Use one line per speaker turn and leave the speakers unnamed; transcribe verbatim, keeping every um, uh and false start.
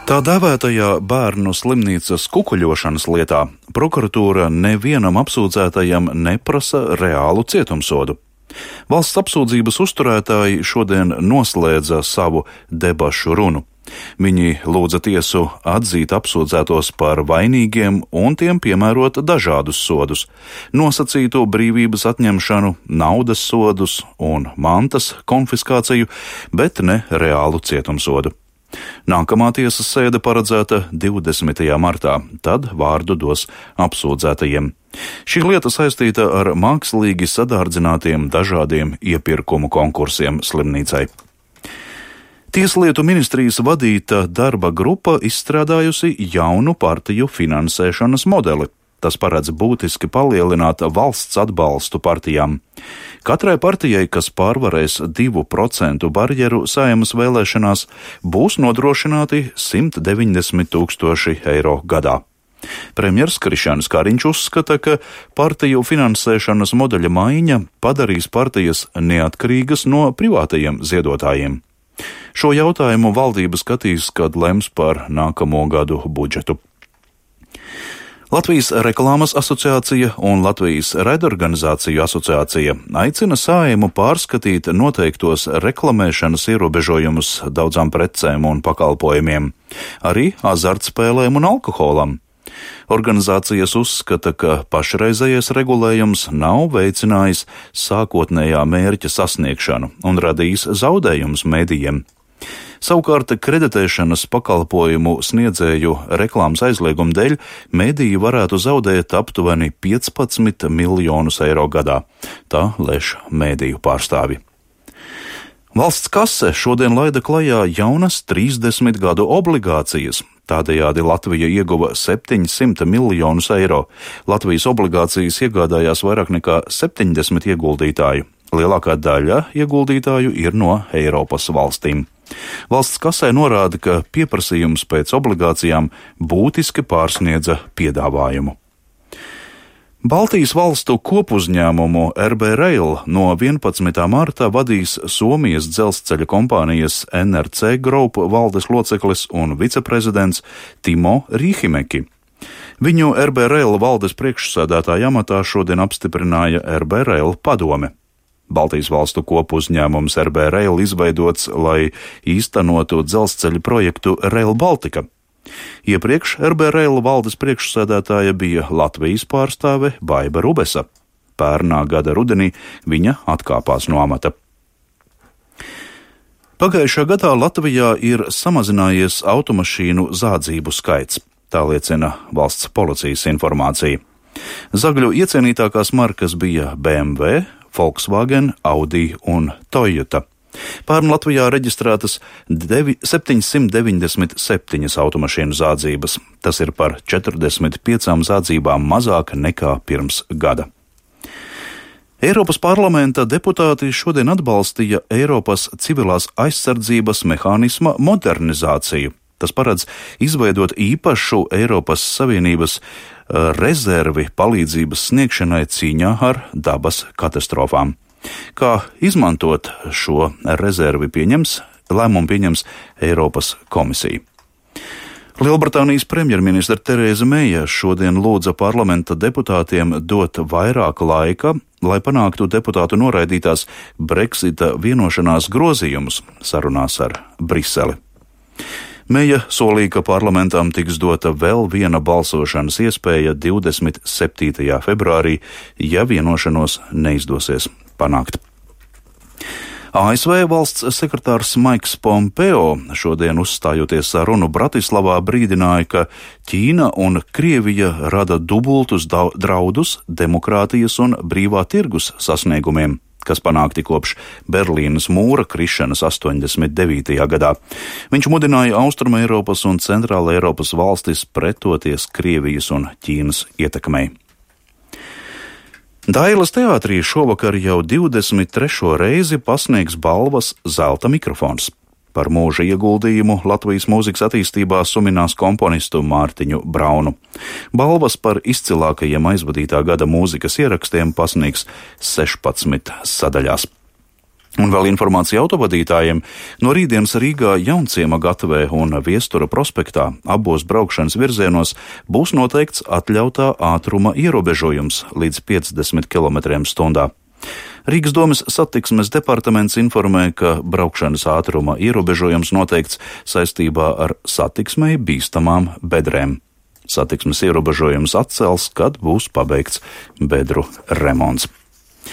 Tā dēvētajā bērnu slimnīcas kukuļošanas lietā prokuratūra nevienam apsūdzētajam neprasa reālu cietumsodu. Valsts apsūdzības uzturētāji šodien noslēdza savu debašu runu. Viņi lūdza tiesu atzīt apsūdzētos par vainīgiem un tiem piemērot dažādus sodus - nosacītu brīvības atņemšanu, naudas sodus un mantas konfiskāciju, bet ne reālu cietumsodu. Nākamā tiesas sēde paredzēta divdesmitajā martā, tad vārdu dos apsūdzētajiem. Šī lieta saistīta ar mākslīgi sadārdzinātiem dažādiem iepirkumu konkursiem slimnīcai. Tieslietu ministrijas vadīta darba grupa izstrādājusi jaunu partiju finansēšanas modeli. Tas paredz būtiski palielināt valsts atbalstu partijām. Katrai partijai, kas pārvarēs divu procentu barjeru Saeimas vēlēšanās, būs nodrošināti simt deviņdesmit tūkstoši eiro gadā. Premjers Krišjānis Kariņš uzskata, ka partiju finansēšanas modeļa maiņa padarīs partijas neatkarīgas no privātajiem ziedotājiem. Šo jautājumu valdība skatīs, kad lems par nākamo gadu budžetu. Latvijas reklāmas asociācija un Latvijas raidorganizāciju asociācija aicina Saeimu pārskatīt noteiktos reklamēšanas ierobežojumus daudzām precēm un pakalpojumiem, arī azartspēlēm un alkoholam. Organizācijas uzskata, ka pašreizējais regulējums nav veicinājis sākotnējā mērķa sasniegšanu un radījis zaudējumus medijiem. Savukārt kreditēšanas pakalpojumu sniedzēju reklāmas aizlieguma dēļ mediji varētu zaudēt aptuveni piecpadsmit miljonus eiro gadā. Tā lēš mediju pārstāvi. Valsts kase šodien laida klajā jaunas trīsdesmit gadu obligācijas. Tādējādi Latvija ieguva septiņsimt miljonus eiro. Latvijas obligācijas iegādājās vairāk nekā septiņdesmit ieguldītāju. Lielākā daļa ieguldītāju ir no Eiropas valstīm. Valsts kasē norāda, ka pieprasījums pēc obligācijām būtiski pārsniedza piedāvājumu. Baltijas valstu kopuzņēmumu R B Rail no vienpadsmitā martā vadīs Somijas dzelzceļa kompānijas N R C Group valdes loceklis un viceprezidents Timo Rīhimeki. Viņu R B Rail valdes priekšsēdētāja amatā šodien apstiprināja R B Rail padome. Baltijas valstu kopuzņēmums R B Rail izveidots, lai īstenotu dzelzceļa projektu Rail Baltica. Iepriekš R B Rail valdes priekšsēdētāja bija Latvijas pārstāve Baiba Rubesa. Pērnā gada rudenī viņa atkāpās no amata. Pagājušā gadā Latvijā ir samazinājies automašīnu zādzību skaits, tā liecina valsts policijas informācija. Zagļu iecienītākās markas bija B M W, Volkswagen, Audi un Toyota. Pērn Latvijā reģistrētas septiņsimt deviņdesmit septiņas automašīnu zādzības. Tas ir par četrdesmit piecām zādzībām mazāk nekā pirms gada. Eiropas parlamenta deputāti šodien atbalstīja Eiropas civilās aizsardzības mehānisma modernizāciju. Tas paredz izveidot īpašu Eiropas Savienības rezervi palīdzības sniegšanai cīņā ar dabas katastrofām. Kā izmantot šo rezervi pieņems, lēmumu pieņems Eiropas komisija. Lielbritānijas premjerministra Terēza Meija šodien lūdza parlamenta deputātiem dot vairāk laika, lai panāktu deputātu noraidītās Brexita vienošanās grozījumus sarunās ar Briseli. Meija solīja, ka parlamentam tiks dota vēl viena balsošanas iespēja divdesmit septītajā februārī, ja vienošanos neizdosies panākt. A S V valsts sekretārs Maiks Pompeo šodien uzstājoties sarunu Bratislavā brīdināja, ka Ķīna un Krievija rada dubultus draudus demokrātijas un brīvā tirgus sasniegumiem, kas panākti kopš Berlīnas mūra krišanas astoņdesmit devītajā gadā. Viņš mudināja Austruma Eiropas un Centrāla Eiropas valstis pretoties Krievijas un Ķīnas ietekmei. Dailas teātrī šovakar jau divdesmit trešo reizi pasniegs balvas Zelta mikrofons. Par mūža ieguldījumu Latvijas mūzikas attīstībā suminās komponistu Mārtiņu Braunu. Balvas par izcilākajiem aizvadītā gada mūzikas ierakstiem pasniegs sešpadsmit sadaļās. Un vēl informācija autovadītājiem. No rītdienas Rīgā Jaunciema gatavē un Viestura prospektā abos braukšanas virzienos būs noteikts atļautā ātruma ierobežojums līdz piecdesmit kilometriem stundā. Rīgas domes satiksmes departaments informē, ka braukšanas ātruma ierobežojums noteikts saistībā ar satiksmei bīstamām bedrēm. Satiksmes ierobežojums atcels, kad būs pabeigts bedru remonts.